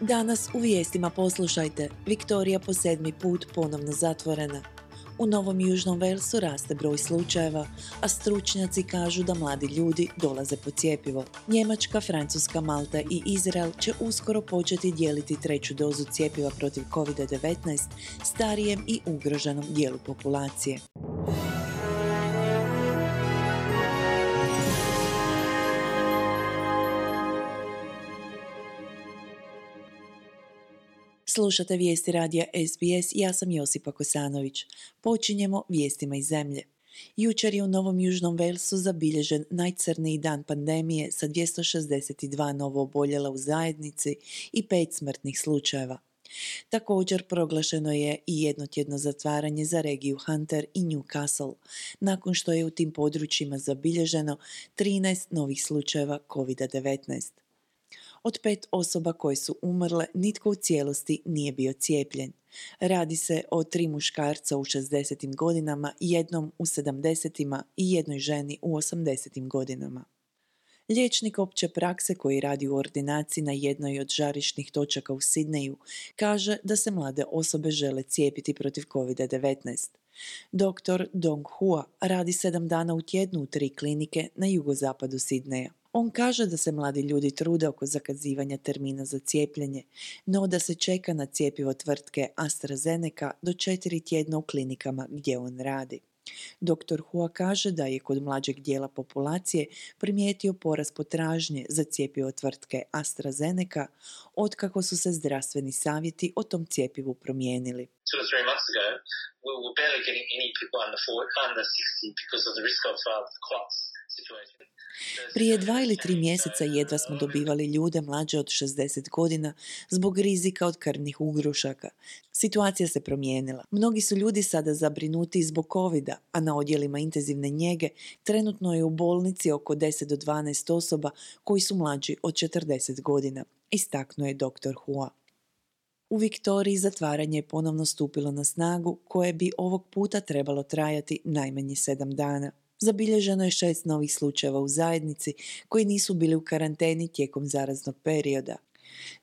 Danas u vijestima poslušajte, Viktorija po 7. put ponovno zatvorena. U Novom Južnom Velsu raste broj slučajeva, a stručnjaci kažu da mladi ljudi dolaze po cjepivo. Njemačka, Francuska, Malta i Izrael će uskoro početi dijeliti treću dozu cjepiva protiv COVID-19 starijem i ugroženom dijelu populacije. Slušate vijesti radija SBS, ja sam Josipa Kosanović. Počinjemo vijestima iz zemlje. Jučer je u Novom Južnom Velsu zabilježen najcrniji dan pandemije sa 262 novo oboljela u zajednici i 5 smrtnih slučajeva. Također proglašeno je i jednotjedno zatvaranje za regiju Hunter i Newcastle, nakon što je u tim područjima zabilježeno 13 novih slučajeva COVID-19. Od 5 osoba koje su umrle, nitko u cijelosti nije bio cijepljen. Radi se o 3 muškarca u 60. godinama, jednom u 70. i jednoj ženi u 80. godinama. Liječnik opće prakse koji radi u ordinaciji na jednoj od žarišnih točaka u Sidneju kaže da se mlade osobe žele cijepiti protiv COVID-19. Dr. Dong Hua radi 7 dana u tjednu u 3 klinike na jugozapadu Sidneja. On kaže da se mladi ljudi trude oko zakazivanja termina za cijepljenje, no da se čeka na cjepivo tvrtke AstraZeneca do 4 tjedna u klinikama gdje on radi. Dr. Hua kaže da je kod mlađeg dijela populacije primijetio porast potražnje za cjepivo tvrtke AstraZeneca otkako su se zdravstveni savjeti o tom cjepivu promijenili. 2 or 3 months ago, we were barely getting any people under 60 because of the risk of the clots situation. Prije 2 ili 3 mjeseca jedva smo dobivali ljude mlađe od 60 godina zbog rizika od krvnih ugrušaka. Situacija se promijenila. Mnogi su ljudi sada zabrinuti zbog covida, a na odjelima intenzivne njege trenutno je u bolnici oko 10 do 12 osoba koji su mlađi od 40 godina, istaknuo je dr. Hua. U Viktoriji zatvaranje je ponovno stupilo na snagu, koje bi ovog puta trebalo trajati najmanje 7 dana. Zabilježeno je 6 novih slučajeva u zajednici koji nisu bili u karanteni tijekom zaraznog perioda.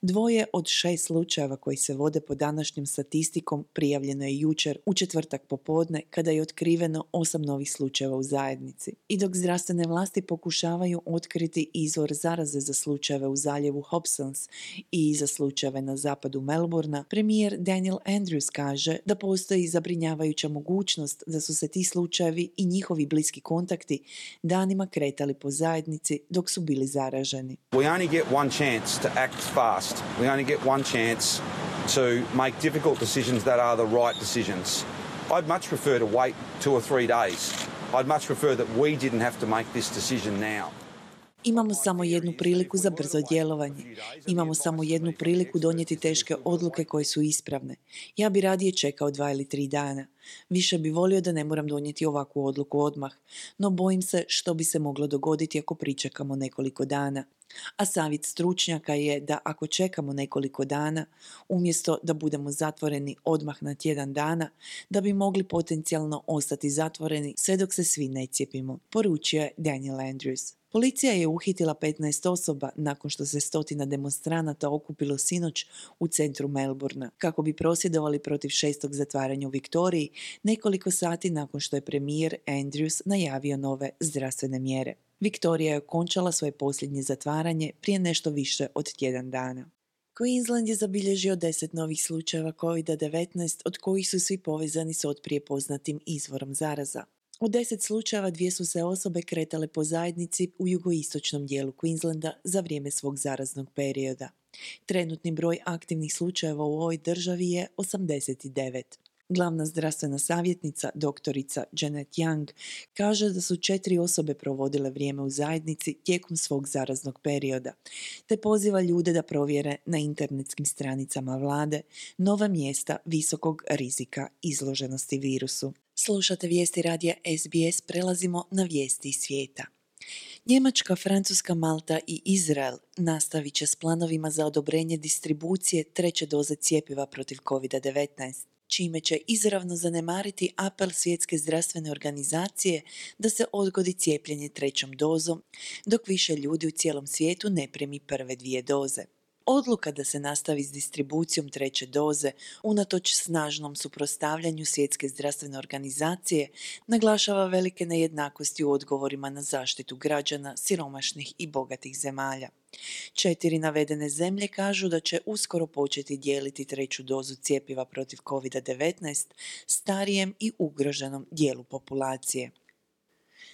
2 od 6 slučajeva koji se vode po današnjim statistikom prijavljeno je jučer u četvrtak popodne kada je otkriveno 8 novih slučajeva u zajednici. I dok zdravstvene vlasti pokušavaju otkriti izvor zaraze za slučajeve u zaljevu Hobsons i za slučajeve na zapadu Melbourna, premijer Daniel Andrews kaže da postoji zabrinjavajuća mogućnost da su se ti slučajevi i njihovi bliski kontakti danima kretali po zajednici dok su bili zaraženi. We only get one chance to act fast. We only get one chance to make difficult decisions that are the right decisions. I'd much prefer to wait 2 or 3 days. I'd much prefer that we didn't have to make this decision now. Imamo samo jednu priliku za brzo djelovanje. Imamo samo jednu priliku donijeti teške odluke koje su ispravne. Ja bi radije čekao 2 ili 3 dana. Više bi volio da ne moram donijeti ovakvu odluku odmah, no bojim se što bi se moglo dogoditi ako pričekamo nekoliko dana. A savjet stručnjaka je da ako čekamo nekoliko dana, umjesto da budemo zatvoreni odmah na tjedan dana, da bi mogli potencijalno ostati zatvoreni sve dok se svi ne cijepimo, poručio je Daniel Andrews. Policija je uhitila 15 osoba nakon što se 100 demonstranata okupilo sinoć u centru Melbourna kako bi prosvjedovali protiv 6. zatvaranja u Viktoriji nekoliko sati nakon što je premijer Andrews najavio nove zdravstvene mjere. Viktorija je okončala svoje posljednje zatvaranje prije nešto više od tjedan dana. Queensland je zabilježio 10 novih slučajeva COVID-19, od kojih su svi povezani s otprije poznatim izvorom zaraza. U 10 slučajeva 2 su se osobe kretale po zajednici u jugoistočnom dijelu Queenslanda za vrijeme svog zaraznog perioda. Trenutni broj aktivnih slučajeva u ovoj državi je 89. Glavna zdravstvena savjetnica, doktorica Janet Young, kaže da su 4 osobe provodile vrijeme u zajednici tijekom svog zaraznog perioda, te poziva ljude da provjere na internetskim stranicama vlade nova mjesta visokog rizika izloženosti virusu. Slušate vijesti radija SBS, prelazimo na vijesti iz svijeta. Njemačka, Francuska, Malta i Izrael nastavit će s planovima za odobrenje distribucije treće doze cjepiva protiv COVID-19. čime će izravno zanemariti apel Svjetske zdravstvene organizacije da se odgodi cijepljenje trećom dozom, dok više ljudi u cijelom svijetu ne primi prve 2 doze. Odluka da se nastavi s distribucijom treće doze, unatoč snažnom suprotstavljanju Svjetske zdravstvene organizacije, naglašava velike nejednakosti u odgovorima na zaštitu građana siromašnih i bogatih zemalja. 4 navedene zemlje kažu da će uskoro početi dijeliti treću dozu cjepiva protiv COVID-19 starijem i ugroženom dijelu populacije.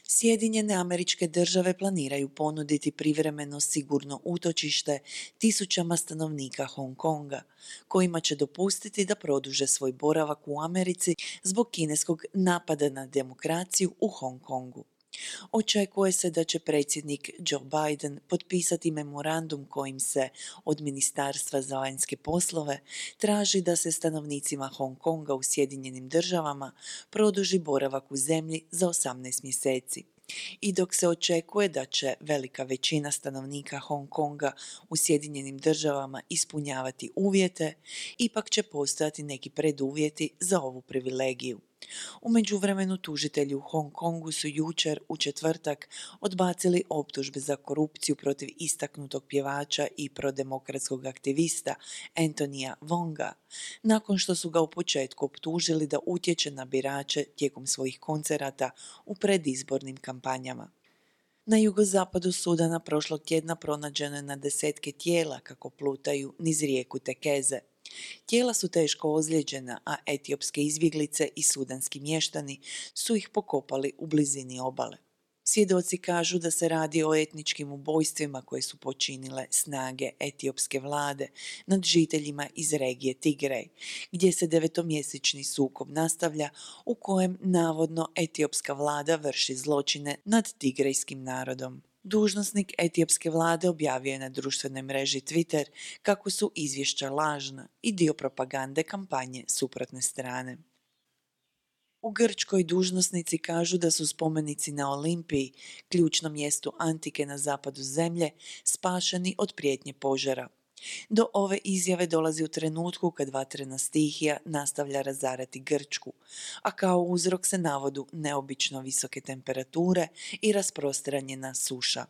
Sjedinjene Američke Države planiraju ponuditi privremeno sigurno utočište tisućama stanovnika Hong Konga, kojima će dopustiti da produže svoj boravak u Americi zbog kineskog napada na demokraciju u Hong Kongu. Očekuje se da će predsjednik Joe Biden potpisati memorandum kojim se od Ministarstva za vanjske poslove traži da se stanovnicima Hong Konga u Sjedinjenim Državama produži boravak u zemlji za 18 mjeseci. I dok se očekuje da će velika većina stanovnika Hong Konga u Sjedinjenim Državama ispunjavati uvjete, ipak će postojati neki preduvjeti za ovu privilegiju. U međuvremenu tužitelji u Hong Kongu su jučer u četvrtak odbacili optužbe za korupciju protiv istaknutog pjevača i prodemokratskog aktivista Anthonyja Wonga, nakon što su ga u početku optužili da utječe na birače tijekom svojih koncerata u predizbornim kampanjama. Na jugozapadu Sudana prošlog tjedna pronađeno je na desetke tijela kako plutaju niz rijeku Tekeze. Tijela su teško ozlijeđena, a etiopske izbjeglice i sudanski mještani su ih pokopali u blizini obale. Svjedoci kažu da se radi o etničkim ubojstvima koje su počinile snage etiopske vlade nad žiteljima iz regije Tigrej, gdje se 9-mjesečni sukob nastavlja u kojem navodno etiopska vlada vrši zločine nad tigrejskim narodom. Dužnosnik etiopske vlade objavio je na društvenoj mreži Twitter kako su izvješća lažna i dio propagande kampanje suprotne strane. U Grčkoj dužnosnici kažu da su spomenici na Olimpiji, ključnom mjestu antike na zapadu zemlje, spašeni od prijetnje požara. Do ove izjave dolazi u trenutku kad vatrena stihija nastavlja razarati Grčku, a kao uzrok se navodu neobično visoke temperature i rasprostranjena suša.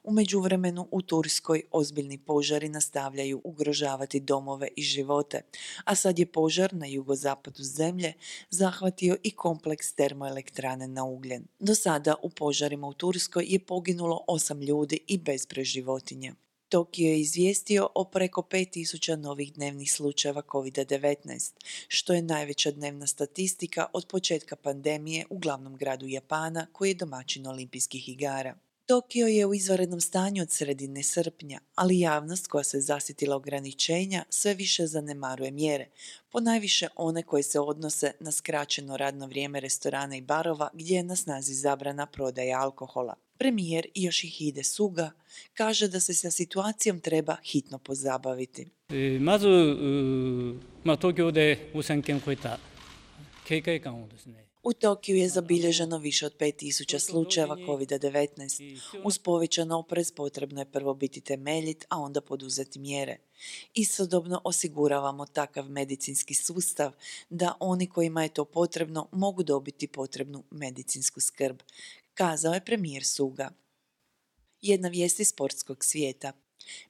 U međuvremenu u Turskoj ozbiljni požari nastavljaju ugrožavati domove i živote, a sad je požar na jugozapadu zemlje zahvatio i kompleks termoelektrane na ugljen. Do sada u požarima u Turskoj je poginulo 8 ljudi i bezbroj životinja. Tokio je izvijestio o preko 5000 novih dnevnih slučajeva COVID-19, što je najveća dnevna statistika od početka pandemije u glavnom gradu Japana koji je domaćin olimpijskih igara. Tokio je u izvanrednom stanju od sredine srpnja, ali javnost koja se zasitila ograničenja sve više zanemaruje mjere, ponajviše one koje se odnose na skraćeno radno vrijeme restorana i barova gdje je na snazi zabrana prodaje alkohola. Premijer Yoshihide Suga kaže da se sa situacijom treba hitno pozabaviti. まず東京で5000件超えた警戒感をですね U Tokiju je zabilježeno više od 5000 slučajeva COVID-19. Uz povećan oprez potrebno je prvo biti temeljit, a onda poduzeti mjere. Istodobno osiguravamo takav medicinski sustav da oni kojima je to potrebno mogu dobiti potrebnu medicinsku skrb, kazao je premijer Suga. Jedna vijest iz sportskog svijeta.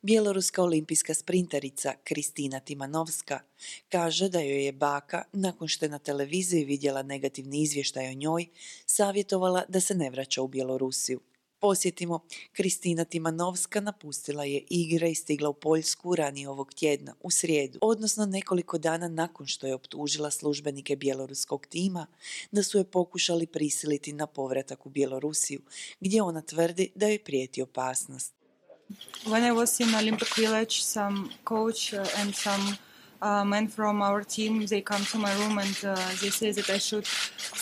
Bjeloruska olimpijska sprinterica Kristina Timanovska kaže da joj je baka, nakon što je na televiziji vidjela negativni izvještaj o njoj, savjetovala da se ne vraća u Bjelorusiju. Posjetimo, Kristina Timanovska napustila je igre i stigla u Poljsku ranije ovog tjedna, u srijedu, odnosno nekoliko dana nakon što je optužila službenike bjeloruskog tima da su je pokušali prisiliti na povratak u Bjelorusiju, gdje ona tvrdi da joj prijeti opasnost. When I was in Olympic Village, some coach and some men from our team, they come to my room and they say that I should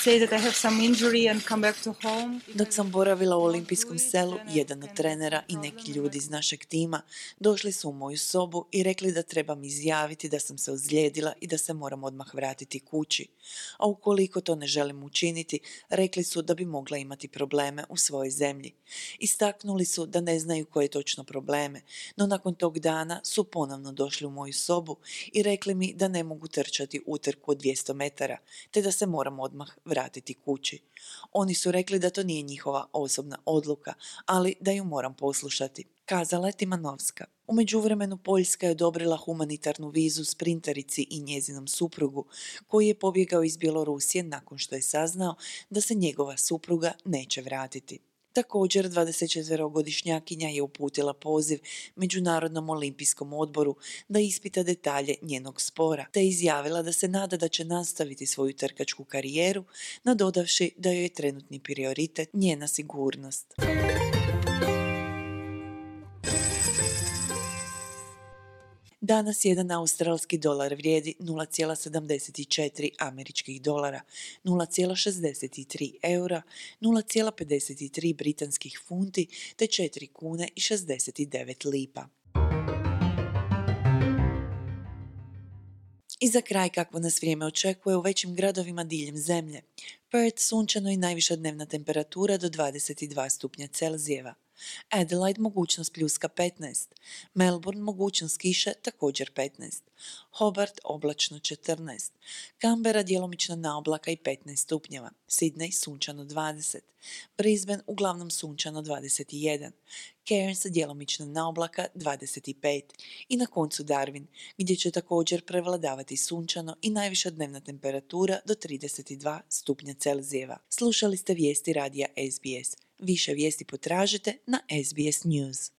say that I have some injury and come back to home. Dok sam boravila u olimpijskom selu, jedan od trenera i neki ljudi iz našeg tima došli su u moju sobu i rekli da trebam izjaviti da sam se ozlijedila i da se moram odmah vratiti kući. A ukoliko to ne želim učiniti, rekli su da bi mogla imati probleme u svojoj zemlji. Istaknuli su da ne znaju koje točno probleme, no nakon tog dana su ponovno došli u moju sobu i rekli mi da ne mogu trčati utrku od 200 metara, te da se moram odmah vratiti kući. Oni su rekli da to nije njihova osobna odluka, ali da ju moram poslušati, kazala je Timanovska. U međuvremenu Poljska je odobrila humanitarnu vizu sprinterici i njezinom suprugu, koji je pobjegao iz Bjelorusije nakon što je saznao da se njegova supruga neće vratiti. Također, 24-godišnjakinja je uputila poziv Međunarodnom olimpijskom odboru da ispita detalje njenog spora, te izjavila da se nada da će nastaviti svoju trkačku karijeru, nadodavši da joj je trenutni prioritet njena sigurnost. Danas jedan australski dolar vrijedi 0,74 američkih dolara, 0,63 eura, 0,53 britanskih funti te 4 kune i 69 lipa. I za kraj kakvo nas vrijeme očekuje u većim gradovima diljem zemlje. Perth sunčano i najviša dnevna temperatura do 22 stupnja Celzijeva. Adelaide mogućnost pljuska 15, Melbourne mogućnost kiše također 15, Hobart oblačno 14, Canberra djelomična naoblaka i 15 stupnjeva, Sydney sunčano 20, Brisbane uglavnom sunčano 21, Cairns djelomična naoblaka 25 i na koncu Darwin gdje će također prevladavati sunčano i najviša dnevna temperatura do 32 stupnja Celzijeva. Slušali ste vijesti radija SBS. Više vijesti potražite na SBS News.